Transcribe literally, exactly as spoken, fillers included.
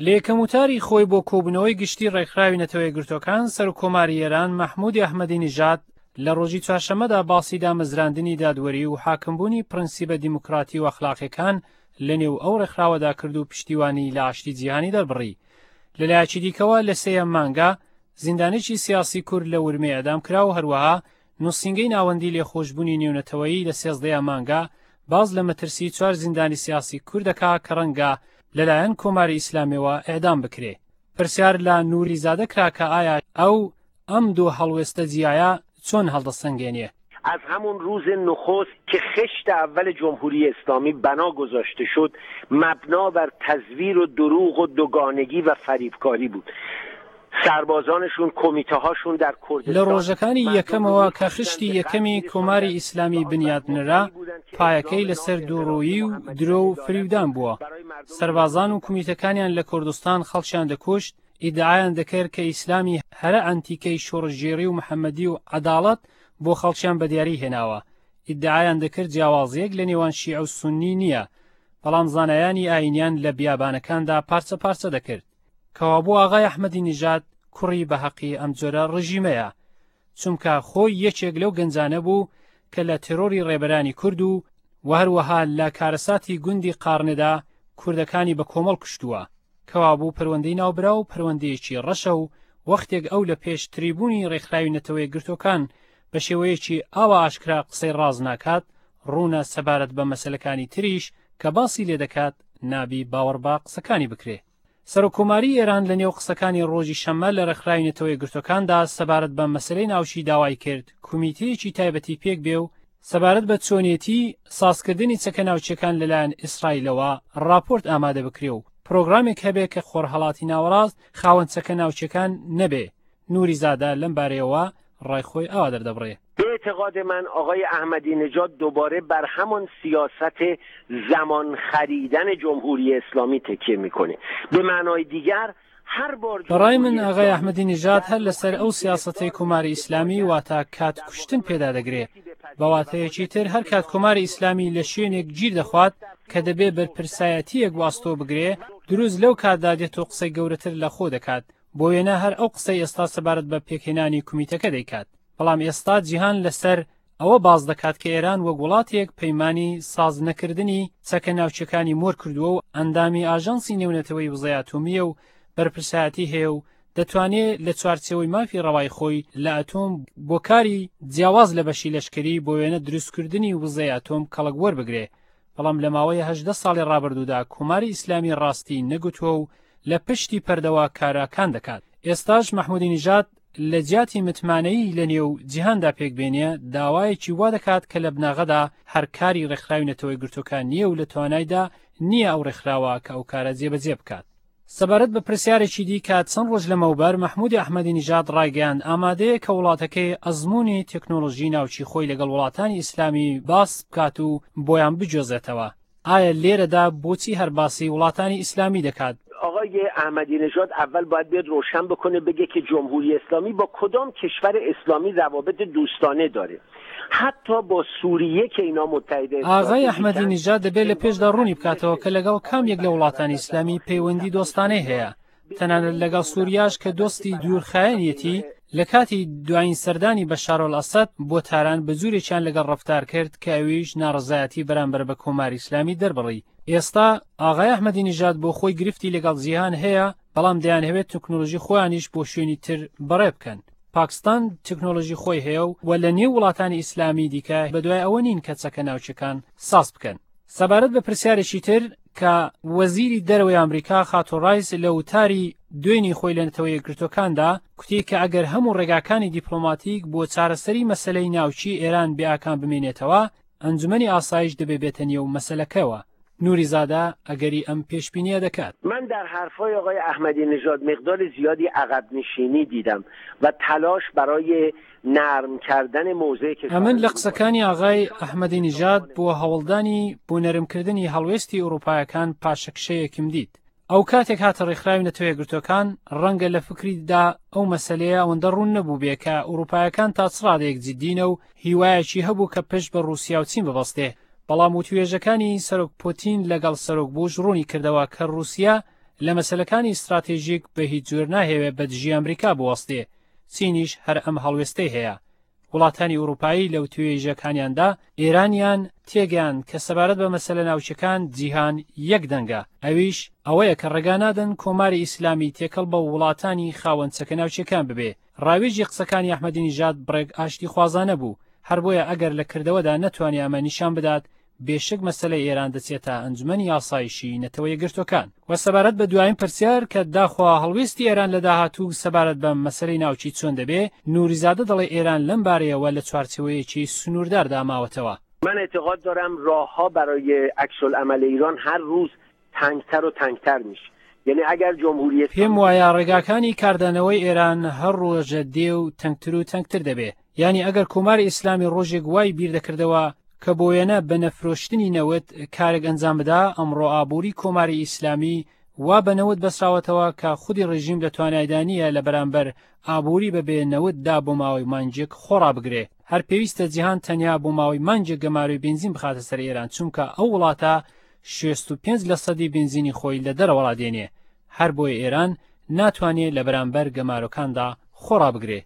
لە یەکەم وتاری خۆی بۆ کۆبوونەوەی گشتی ڕێکخراوی نەتەوە یەکگرتووەکان، سەرۆککۆماری ئێران مەحموودی ئەحمەدی نژاد لە ڕۆژی چوارشەممەدا باسی دامەزراندنی دادوەری و حاکمبوونی پرەنسیبە دیموکراتی و ئەخلاقیەکان لەنێو ئەو ڕێکخراوەدا کرد و پشتیوانی لە ئاشتی جیهانی دەربڕی. لەلایەکی دیکەوە لە سێیەم مانگا زیندانێکی سیاسی کورد لە ورمێ ئەدام کرا و هەروەها نووسینگەی ناوەندی لێخۆشبوونی نێونەتەوەیی لە سێزدەیە مانگا باز لە مەترسی چوار زیندانی سیاسی کوردەکا کە ڕەنگە لەلایەن کۆماری ئیسلامیەوە ئێعدام بکرێ. پرسیار لە نووری زادە کرا کە ئایا ئەو ئەم دوو هەڵوێستە جیایە چۆن هەڵدەسەنگێنێ؟ از همون روز نخست که خشت اول جمهوری اسلامی بنا گذاشته شد، مبنا بر تزویر و دروغ و دوگانگی و فریبکاری بود. سربازانشون، کمیته هاشون در کردستان لە ڕۆژەکانی یەکەمەوە کە خشتی یەکەمی کۆماری ئیسلامی بنیات نرا، پایەکەی لەسەر دووڕوویی و درۆ و فریودان بووە. سەربازان و کمیتەکانیان لە کوردستان خەڵکیان دەکوشت، ئیدعایان دەکرد کە ئیسلامی هەرە ئەنتیکەی شۆڕشگێڕی و محەممەدی و عەداڵەت بۆ خەڵکیان بەدیاری هێناوە. ئیدعایان دەکرد جیاوازیەک لە نێوان شیعە و سوننی نییە، بەڵام زانایانی ئاینیان لە بیابانەکاندا پارچە پارچە دەکرد. کەوابوو ئاغای ئەحمەدی نژاد کوڕی بە حەقی ئەم جۆرە ڕژیمەیە، چونکە خۆی یەکێک لەو گەنجانە بوو کە لە تێرۆری ڕێبەرانی کورد و و هەروەها لە کارەساتی گوندی قارنێدا کوردەکانی بە کۆمەڵ کوشتووە. کەوابوو پەروەندەی ناوبرا و پەروەندەیەکی ڕەشە و وەختێک ئەو لە پێش تریبوونی ڕێکخراوی نەتەوە یەکگرتووەکان بە شێوەیەکی ئاوا ئاشکرا قسەی ڕاز ناکات، ڕوونە سەبارەت بە مەسلەکانی تریش کە باسی لێ دەکات نابی باوەڕ بە قسەکانی بکرێ. سەرۆککۆماری ئێران لە نێو قسەکانی ڕۆژی شەممە لە ڕێکخراوی نەتەوە یەکگرتووەکاندا سەبارەت بە مەسلەی ناوچی داوای کرد کومیتەیەکی تایبەتی پێک بێ و سەبارەت بە چۆنیەتی سازکردنی چەکە ناوچەکان لەلایەن ئیسرائیلەوە راپۆرت ئامادە بکرێ و پرۆگرامێک هەبێ کە خۆرهەڵاتی ناوەڕاست خاوەن چەکە ناوچەکان نەبێ. نووری زادە لەم بارەیەوە ڕای خۆی ئاوا دەردەبڕێ. به اعتقاد من آقای احمدی نژاد دوباره بر همان سیاست زمان خریدن جمهوری اسلامی تکیه میکنه. به معنای دیگر هر بار بەڕای من ئاغای ئەحمەدی نژاد هەر لەسەر ئەو سیاسەتەی کۆماری ئیسلامی واتە کات کوشتن پێدا دەگرێ. بە واتەیەکی تر هەر کات کۆماری ئیسلامی لە شوێنێک گیر دەخوات کە دەبێ بەرپرسایەتیەک واستۆ بگرێ، دروست لەو کاتدا دێت و قسەی گەورەتر لە خۆ دەکات. بۆ وێنە هەر ئەو قسەی ئێستا سەبارەت بە پێکهێنانی کومیتەکە دەیکات. بەڵام ئێستا جیهان لەسەر ئەوە باز دەکات کە ئێران وەک وڵاتێک پەیمانی ساز نەکردنی چەکە ناوچەکانی مۆر کردووە و ئەندامی ئاژانسی نێونەتەوەی وزەی ئەتۆمیە و بەرپرسایەتی هەیە و دەتوانێت لە چوارچێوەی مافی ڕەوای خۆی لە ئەتۆم بۆ کاری جیاواز لە بەشی لەشکری بۆ وێنە دروستکردنی وزەی ئەتۆم کەڵک وەربگرێ. بەڵام لە ماوەی هەژدە ساڵی ڕابردوودا کۆماری ئیسلامی ڕاستی نەگوتووە و لە پشتی پەردەوە کاراکان دەکات. ئێستاش مەحموودی نژاد لە جیاتی متمانەیی لە نێو جیهاندا پێک بێنێ داوایەکی وا دەکات کە لە بناغەدا هەر کاری ڕێکخراوی نەتەوە یەکگرتووەکان نییە و لە توانایدا نییە ئەو ڕێکخراوە کە ئەو کارە جێبەجێ بکات. سەبارەت بە پرسیارێکی دیکە چەند ڕۆژ لەمەوبەر مەحموودی ئەحمەدی نژاد ڕایگەیاند ئامادەیە کە وڵاتەکەی ئەزمموی تەکنۆلۆژی ناوچی خۆی لەگەڵ وڵاتانی ئیسلامی باس بکات و بۆیان بگوێزێتەوە. ئایا لێرەدا بۆچی هەر باسی وڵاتانی ئیسلامی دەکات؟ آقای احمدی نژاد اول باید بیاد روشن بکنه بگه که جمهوری اسلامی با کدام کشور اسلامی روابط دوستانه داره، حتی با سوریه که اینا متحد ئاغای ئەحمەدی نژاد دەبێت لە پێشدا ڕوونی بکاتەوە کە لەگەڵ کام یەک لە وڵاتانی ئیسلامی پەیوەندی دۆستانەی هەیە، تەنانەت لەگەڵ سووریاش کە دۆستی دوورخایەنیەتی. لە کاتی دوایین سەردانی بەشارۆل ئەسەد بۆ تاران بە جوورێکیان لەگەڵ ڕەفتار کرد کە ئەویش ناڕەزایەتی بەرامبەر بە کۆماری ئیسلامی دەربڕی. ئێستا ئاغای ئەحمەدی نژاد بۆ خۆی گرفتی لەگەڵ جیهان هەیە، بەڵام دەیانهەوێت تەکنۆلۆژی خۆیانیش بۆ شوێنی تر بەڕێ بکەن. پاکستان تەکنۆلۆژی خۆی هەیە و لە نێو وڵاتانی ئیسلامی دیکە بەدوای ئەوە نین کە چەکە ناوچەکان ساز بکەن. سەبارەت بە پرسیارێکی تر کە وەزیری دەرەوەی ئەمریکا خاتوو ڕایس لە وتاری دوێنی خۆی لە نەتەوە یەکگرتووەکاندا کوتی کە ئەگەر هەموو ڕێگاکانی دیپلۆماتیک بۆ چارەسەری مەسلەی ناوچی ئێران بێئاکام بمێنێتەوە، ئەنجومەنی ئاسایش دەبێ بێتە نێو مەسلەکەوە. نووری زادە ئەگەری ئەم پێشبینیە دەکات. من در حرفای آقای احمدی نژاد مقدار زیادی عقب نشینی دیدم و تلاش برای نرم کردن موضع کشور. ئەمن لە قسەکانی ئاغای ئەحمەدی نژاد بۆ هەوڵدانی بۆ نەرمکردنی هەڵوێستی ئەوروپایەکان پاشەکشەیەکم دیت. ئەو کاتێک هاتە ڕێکخراوی نەتەوە یەکگرتووەکان ڕەنگە لە فکریدا ئەو مەسلەیە ئەوەندە ڕوون نەبوو بێ کە ئەوروپایەکان تا چ ڕادەیەک جدینە و هیوایەکی هەبوو کە پشت بە ڕووسیا و چین ببەستێ. بەڵام وتوێژەکانی سەرۆک پوتین لەگەڵ سەرۆک بوش ڕوونی کردەوە کە ڕووسیا لە مەسەلەکانی ستراتێژیک بە هیچ جۆر ناهەوێ بە دژی ئەمریکا بوەستێ. چینیش هەر ئەم هەڵوێستەی هەیە. وڵاتانی ئەوروپایی لەو توێژەکانیاندا ئێرانیان تێگەیان کە سەبارەت بە مەسەلە ناوچەکان جیهان یەک دەنگە، ئەویش ئەوەیە کە ڕێگا نادەن کۆماری ئیسلامی تێکەڵ بە وڵاتانی خاوەن چەکە ناوچەکان ببێ. ڕاوێژی قسەکانی ئەحمەدی نژاد بڕێک ئاشتی خوازانە بوو، هەر بۆیە ئەگەر لە کردەوەدا نەتوانێ ئەمە نیشان بدات، بێشک مەسەلەی ئێران دەچێتە ئەنجومەنی ئاسایشی نەتەوە یەکگرتووەکان. و سەبارەت بە دوایین پرسیار کە داخوا هەڵوێستی ئێران لە داهاتوو سەبارەت بە مەسەلەی ناوچی چۆن دەبێ، نوریزادە دەڵێ ئێران لەم بارەیەوە لە چوارچێوەیەکی سنوورداردا ماوەتەوە. من اعتقاد دارم راهها برای عکس العمل ایران هر روز تنگتر و تنگتر میشه. یعنی اگر جمهوری پێم وایە ڕێگاکانی کاردانەوەی ئێران هەر ڕۆژە دێ و تەنگتر و تەنگتر دەبێ. یعنی ئەگەر کۆماری ئیسلامی ڕۆژێک وای بیر دەکردەوە کە بۆ وێنە بە نەفرۆشتنی نەوت کارێک ئەنجام بدا، ئەمڕۆ ئابووری کۆماری ئیسلامی وا بە نەوت بەسراوەتەوە کە خودی ڕژیم لە توانایدا نییە لە بەرامبەر ئابووری بەبێ نەوتدا بۆ ماوەی مانگێک خۆڕابگرێ. هەر پێویستە جیهان تەنیا بۆ ماوەی مانگێک گەمارۆی بنزین بخاتە سەر ئێران، چونکە ئەو وڵاتە شەست و پێنج لە سەدی بنزینی خۆی لە دەرەوەڵا دێنێ. هەر بۆیە ئێران ناتوانێت لە بەرامبەر گەمارۆکاندا خۆڕابگرێ.